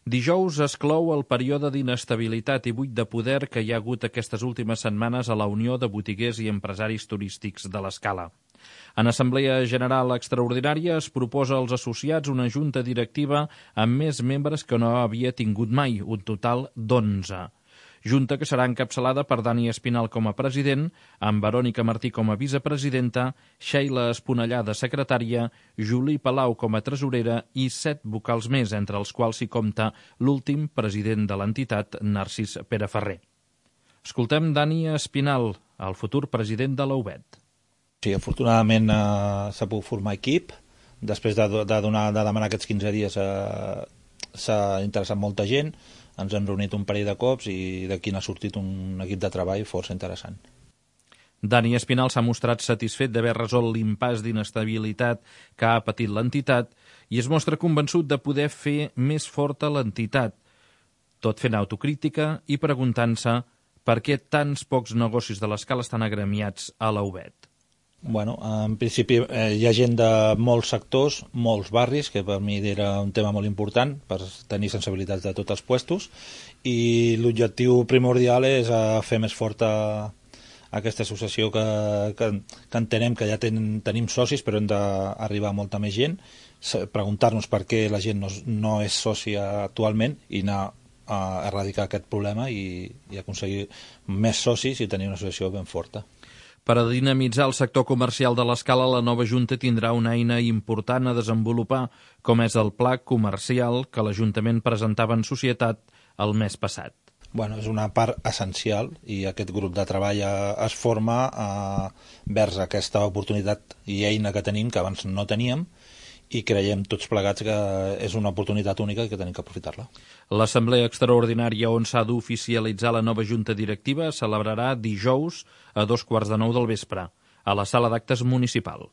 Dijous es clou el període d'inestabilitat i buit de poder que hi ha hagut aquestes últimes setmanes a la Unió de Botiguers i Empresaris Turístics de l'Escala. En Assemblea General Extraordinària es proposa als associats una junta directiva amb més membres que no havia tingut mai, un total d'11. Junta que serà encapçalada per Dani Espinal com a president, amb Verònica Martí com a vicepresidenta, Sheila Esponellada secretària, Juli Palau com a tresorera i 7 vocals més, entre els quals s'hi compta l'últim president de l'entitat, Narcís Pereferrer. Escoltem Dani Espinal, el futur president de la UBET. Sí, afortunadament s'ha pogut formar equip. Després de demanar aquests 15 dies s'ha interessat molta gent. Ens hem reunit un parell de cops i d'aquí n'ha sortit un equip de treball força interessant. Dani Espinal s'ha mostrat satisfet d'haver resolt l'impàs d'inestabilitat que ha patit l'entitat i es mostra convençut de poder fer més forta l'entitat, tot fent autocrítica i preguntant-se per què tants pocs negocis de l'Escala estan agremiats a la UBET. Bueno, en principi hi ha gent de molts sectors, molts barris, que per mi era un tema molt important per tenir sensibilitats de tots els puestos, i l'objectiu primordial és fer més forta aquesta associació que entenem que ja tenim socis, però hem d'arribar a molta més gent, preguntar-nos per què la gent no és sòcia actualment i anar a erradicar aquest problema i aconseguir més socis i tenir una associació ben forta. Per a dinamitzar el sector comercial de l'Escala, la nova Junta tindrà una eina important a desenvolupar, com és el pla comercial que l'Ajuntament presentava en societat el mes passat. Bueno, és una part essencial i aquest grup de treball es forma vers aquesta oportunitat i eina que tenim, que abans no teníem, i creiem tots plegats que és una oportunitat única i que tenim que aprofitar-la. L'Assemblea Extraordinària on s'ha d'oficialitzar la nova Junta Directiva es celebrarà dijous a 15:15 del vespre, a la Sala d'Actes Municipal.